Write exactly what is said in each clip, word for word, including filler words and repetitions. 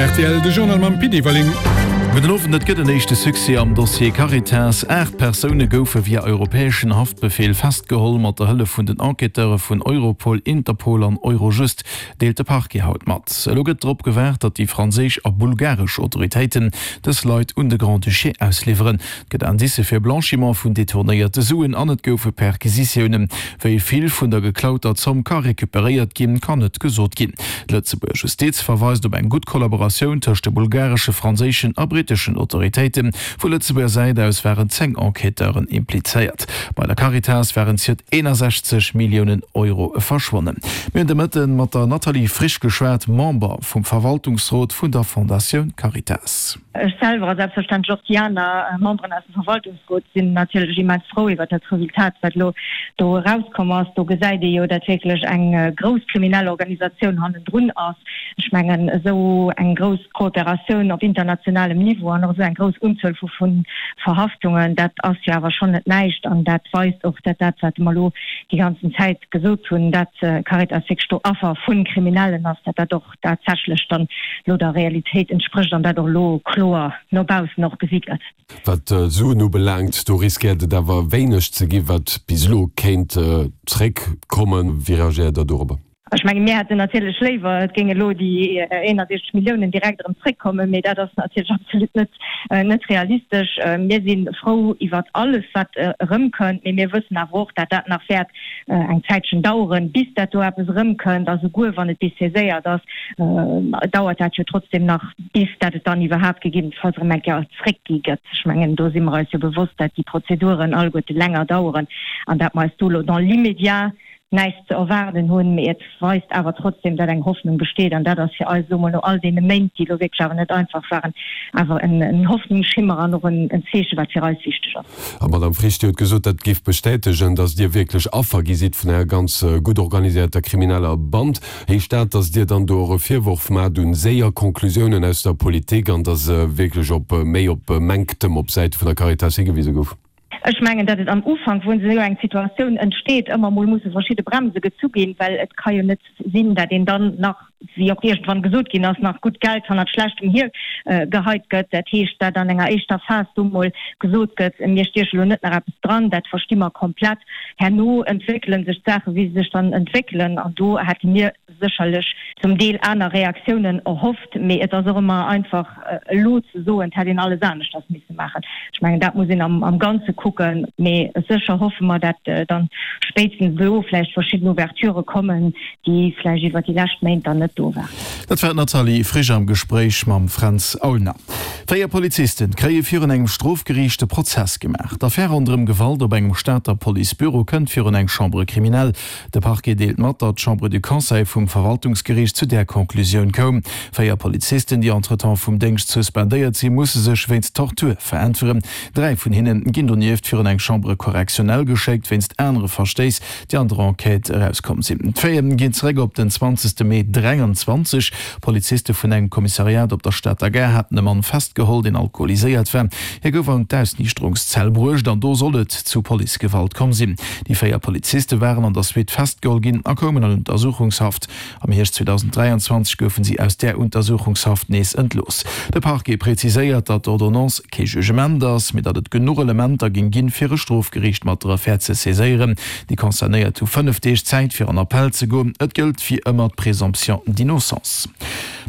Rtl, de Journal mam Pit Everling. Gudden Owend, Et gëtt en éischte Succès am Dossier Caritas. Aacht Persoune goufe via europäeschen Haftbefeel festgeholl, mat der Hëllef vun den Enquêteure vun Europol, Interpol an Eurojust, deelt de Parquet haut mat. Elo gëtt drop gewaart, datt déi franséisch a bulgaresch Autoritéiten dës Leit un de Grand-Duché ausliwweren. Et gëtt Indicë fir Blanchiment vun detournéierte Suen an et goufe Perquisitiounen. Wéi vill vun der geklauter Zomm ka recuperéiert ginn, kann net gesot ginn. D'Lëtzebuerger Justiz verweist op eng gutt Kollaboratioun tëscht de bulgaresche, franséischen a britteschen Autoritéiten. Vu Lëtzebuerger Säit aus waren zéng Enquêteuren implizéiert. Bei der Caritas waren ziert eenasechzeg Milliounen Euro verschwonnen. Mir hunn de Mëtte mat der Nathalie Frisch geschwat, Member vum Verwaltungsrot vun der Fondatioun Caritas. Ech selwer a selbstverständlech och déi aner Memberen aus dem Verwaltungsrot sinn natierlech immens frou iwwert dat Resultat, wat elo do erauskomm ass. Do gesäit ee jo, dat wierklech eng grouss kriminell Organisatioun hannendrun ass. Ech mengen, esou eng grouss Kooperatioun op internationalem Niveau an och esou eng grouss Unzuel vu Verhaftungen, dat ass jo awer schonn net näischt. An dat weist och, dat dat, wat mer elo déi ganzen Zäit gesot hunn, dat Caritas wierklech do Affer vu Kriminellen ass, dat dat och tatsächlech dann elo der Realitéit entsprécht an dat och elo kloer no baussen och gesi gëtt. Wat d'Suen ubelaangt, do riskéiert et awer wéineg ze ginn, wat bis elo kéint zréckkommen. Wéi reagéiert Der dorobber? Ech mengen, mir hätten natierlech léiwer, et géing elo déi eenundsechzeg Milliounen direkt erëm zréckkommen, mee dat ass natierlech absolut net, net realistesch. Mir si frou iwwert alles, wat erëmkënnt, mee mir wëssen awer och, dat dat nach wäert eng Zäitchen daueren, bis dat do eppes erëmkënnt. A souguer wann et bis saiséiert ass, dauert dat jo trotzdem nach, bis dat et dann iwwerhaapt gegebenenfalls erëm eng Kéier zréckgi gëtt. Ech mengen, do si mer eis jo bewosst, dat déi Prozeduren alleguerte länger daueren an dat mer eis do elo dans l'immédiat näischt ze erwaarden hunn, mee et weist awer trotzdem, datt eng Hoffnung besteet. An dat ass fir eis elo mol no all deene Méint, déi elo wierklech awer net einfach waren, awer en Hoffnungsschimmer an och en Zeeche wat fir eis wichteg ass. A Madame Frisch, Dir hutt gesot, dat géif bestätegen, datt Dir wierklech Affer gi sidd vun enger ganz gutt organiséierter krimineller Band. Heescht dat, datt Dir dann do och e Virworf maacht un séier Conclusiounen aus der Politik an datt wierklech op méi op Mänktem op Säite vun der Caritas higewise gouf? Ech mengen, datt et am Ufank, wou esou eng Situatioun entsteet, ëmmer emol musse verschidde Bremse gezu ginn, well et ka jo net sinn, datt een dann nach, wéi och iergendwann gesot ginn ass, nach gutt Geld hannert schlechtem hiergeheit gëtt. Dat heescht, datt an enger éischter Phas do mol gesot gëtt, mir stieche lo net nach eppes dran, dat versti mer komplett. Herno entwéckele sech d'Saache wéi se sech dann entwéckelen an do hätte mir sécherlech zum Deel aner Reaktiounen erhofft, mee et ass och ëmmer einfach elo ze soen, et hätt een alles aneschters misse maachen. Ech mengen, dat muss een am Ganze kucken, mee sécher hoffe mer, dat dann spéitstens elo vläicht verschidden Ouverturë kommen, déi vläicht iwwert déi lescht Méint dann net do waren. Dat war d'Nathalie Frisch am Gespréich mam Fränz Aulner. Véier Polizisten kréie virun engem Strofgeriicht de Prozess gemaach. D'Affär ronderëm Gewalt op engem Stater Policebüro kënnt virun eng Chambre criminelle. De Parquet deelt mat, datt d'Chambre du Conseil vum Verwaltungsgeriicht zu där Conclusioun koum. Véier Polizisten, déi entretemps vum Déngscht suspendéiert sinn, musse sech wéinst Tortur veräntweren. Dräi vun hinne ginn donieft virun eng Chambre correctionnelle geschéckt, wéinst anere Verstéiss, déi an der Enquête erauskomm sinn. D'Faiten ginn zeréck op den zwanzegste Mee dräianzwanzeg Poliziste vun engem Kommissariat op der Stater Gare haten e Mann festgeholl, deen alkoholiséiert war. Hie gouf an d'Ausniichterungszell bruecht an do soll et zu Policegewalt komm sinn. Déi véier Poliziste waren an der Suite festgeholl ginn a koumen an Untersuchungshaft. Am Hierscht zweedausenddräianzwanzeg goufen si aus där Untersuchungshaft nees entlooss. De Parquet preziséiert, datt d'Ordonnance kee Jugement ass, mee datt et genuch Elementer géing ginn, fir e Strofgeriicht mat der Affär ze saiséieren. Déi Concernéiert hu fënnef Deeg Zäit, fir an Appell ze goen. Et gëllt wéi ëmmer d'Présomption d'innocence.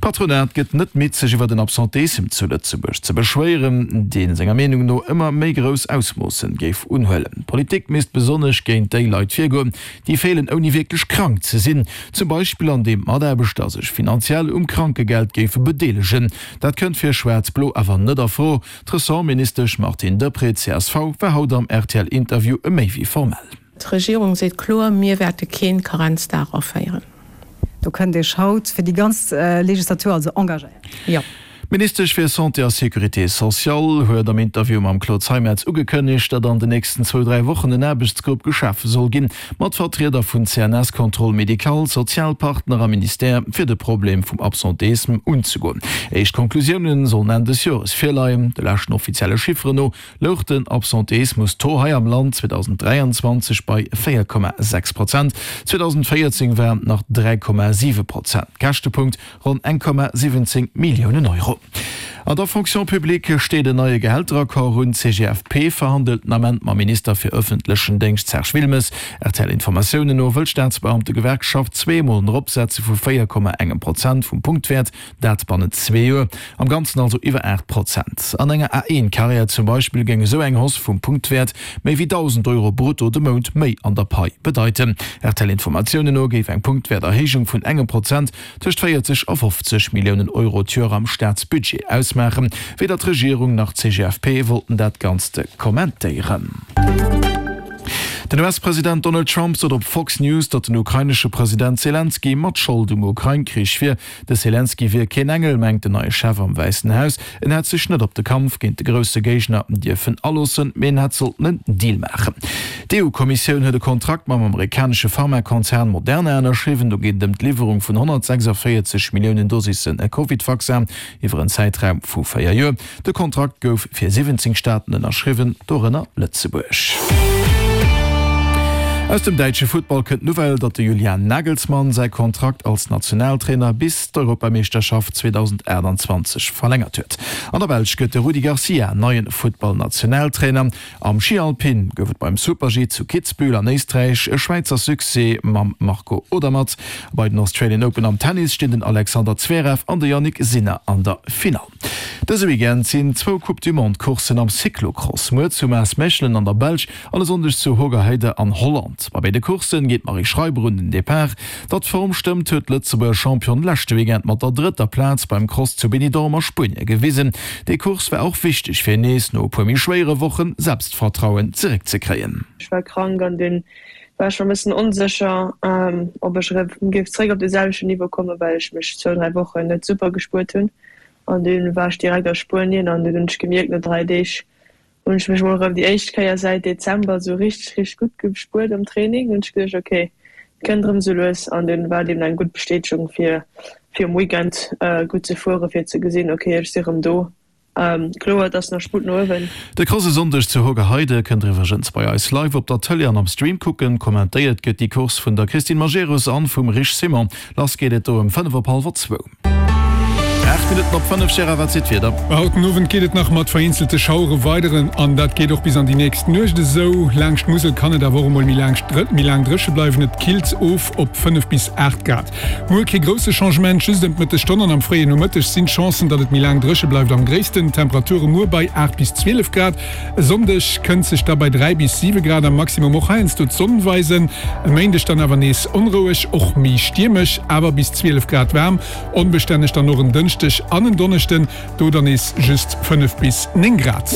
D'Patronat gëtt net midd, sech iwwer den Absenteissem zu Lëtzebuerg ze beschwéieren, dee senger Meenung no ëmmer méi grouss Ausmoossen géif unhuelen. D'Politik misst besonnesch géint déi Leit virgoen, déi feelen ouni wierklech krank ze sinn, zum Beispill andeem d'Mataarbechter sech finanziell um Krankegeld géife bedeelegen. Dat kënnt fir Schwaarz-Blo awer net a Fro. D'Ressortministesch Martine Deprez, csv, war haut am R T L-Interview méi wéi formell. D'Regierung seet kloer, Mir wäerte kee Karenzdag aféieren. Do kënnt Iech haut fir déi ganz Legislatur also engagéieren. Jo. D'Ministesch fir Santé a Sécurité sociale huet am Interview mam Claude Zeimetz ugekënnegt, datt an den nächsten zwou, dräi Wochen en Aarbechtsgrupp geschafe soll ginn, mat Vertrieder vun C N S, Contrôle médical, Sozialpartner a Ministère, fir de Problem vum Absenteisme unzegoen. Éischt Conclusiounen sollen Enn des Jores virleien. De leschten offizielle Chifferen no louch den Absenteismus-Taux hei am Land zweedausend dräianzwanzeg bei véier Komma sechs Prozent, zweedausendvéierzéng waren et nach dräi Komma siwe Prozent. Käschtepunkt, ronn eng Komma siwwenzéng Milliounen Euro. An der Fonction publique steet en neie Gehälteraccord un. D'C G F P verhandelt den Ament mam Minister fir ëffentlechen Déngscht Serge Wilmes. R T L-Informatiounen no wëll d'Staatsbeamtegewerkschaft zweemol en Eropsetze vu véier Komma engem Prozent vum Punktwäert, dat bannent zwee Joer. Am Ganzen also iwwer aacht Prozent. An enger A eent-Karriär zum Beispill géing esou eng Hausse vum Punktwäert méi wéi dausend Euro brutto de Mount méi an der Pai bedeiten. R T L-Informatiounen no géif eng Punktwäerterhéijung vun engem Prozent tëscht véierzeg a fofzeg Milliounen Euro d'Joer am Staatsbudget ausmaachen. Weder d'Regierung nach d'C G F P wollten dat Ganzt kommentéieren. Den U S-President Donald Trump sot op Fox News, datt den ukrainesche President Selenskyj mat Schold um Ukrain-Krich wier. De Selenskyj wier keen Engel, mengt den neie Chef am Wäissen Haus. En hätt sech net op de Kampf géint de grousse Géigner dierfen aloossen, mee en hätt sollten en Deal maachen. D'E U-Kommissioun huet e Kontrakt mam amerikanesche Pharmakonzern Moderna ënnerschriwwen. Do geet et ëm d'Liwwerung vun honnertsechsaféierzeg Milliounen Dosisse Covid-Vaccin iwwer en Zäitraum vu véier Joer. De Kontrakt gouf fir siwwenzéng Staaten ënnerschriwwen, dorënner Lëtzebuerg. Aus dem däitsche Futtball kënnt d'Nouvelle, datt de Julian Nagelsmann säi Kontrakt als Nationaltrainer bis d'Europameeschterschaft zweedausendaachtanzwanzeg verlängert huet. An der Belsch gëtt de Rudi Garcia neien Futtballnationaltrainer. Am Schi Alpin gouf et beim Super-G zu Kitzbühel an Éisträich e Schwäizer Succès mam Marco Odermatt. Bei den Australian Open am Tennis stinn den Alexander Zverev an de Jannik Sinner an der Finall. Dëse Weekend sinn zwou Coupe du Monde Courssen am Cyclocross, muer zu Maasmechelen an der Belsch an e Sonndeg zu Hoogerheide an Holland. Bei béide Coursse geet d'Marie Schreiber un den Depart. Datt d'Form stëmmt, huet d'Lëtzebuerger Championne leschte Weekend mat der drëtter Plaz beim Cross zu Benidorm a Spuenie gewisen. Déi Course war och wichteg fir nees no e puer méi schwéiere Wochen Selbstvertrauen zeréckzekréien. Ech war krank an dunn war ech schonn e bëssen onsécher, ob ech erëm géif zeréck op de selwechten Niveau kommen, well ech mech zwou, dräi Wochen net super gespuert hunn. An dunn war ech direkt a Spuenien an dunn hunn ech gemierkt, no dräi Deeg hunn ech mech mol erëm déi éischt Kéier säit Dezember esou richteg, richteg gutt gespuert am Training. Hunn ech geduecht, ok, et kënnt erëm esou lues an dunn war et eben eng gutt Bestätegung fir fir um Weekend gutt ze fueren, fir ze gesinn, ok, ech si erëm do. Kloer, et ass nach Sputt no uewen. De Cross e Sonndeg zu Hoogerheide kënnt der iwwregens bei eis live op der Tëlee an am Stream kucken. Kommentéiert gëtt déi Course vun der Christine Majerus an vum Rich Simon. Lass geet et do ëm fënnef op hallwer zwou. Aacht Minutten op fënnef, Gérard, wat seet d'Wieder? Haut den Owend geet et nach mat vereenzelte Schauere weider an dat geet och bis an déi nächst Nuecht esou. Laanscht d'Musel kann et awer och emol méi laang méi laang dréche bleiwen. Et killt of op fënnef bis aacht Grad. Muer kee grousse Changement, just ëm d'Mëttesstonn an am fréien Nomëtteg sinn d'Chancen, datt et méi laang dréche bleift am gréissten. Temperature muer bei aacht bis zwielef Grad. E Sonndeg kënnt sech da bei dräi bis siwe Grad am Maximum och heiansdo d'Sonn weisen. E Méindeg dann awer nees onroueg, och méi stiermesch, awer bis zwielef Grad waarm. Onbestänneg dann och en Dënschdeg an en Donneschden, do dann nees just fënnef bis néng Grad.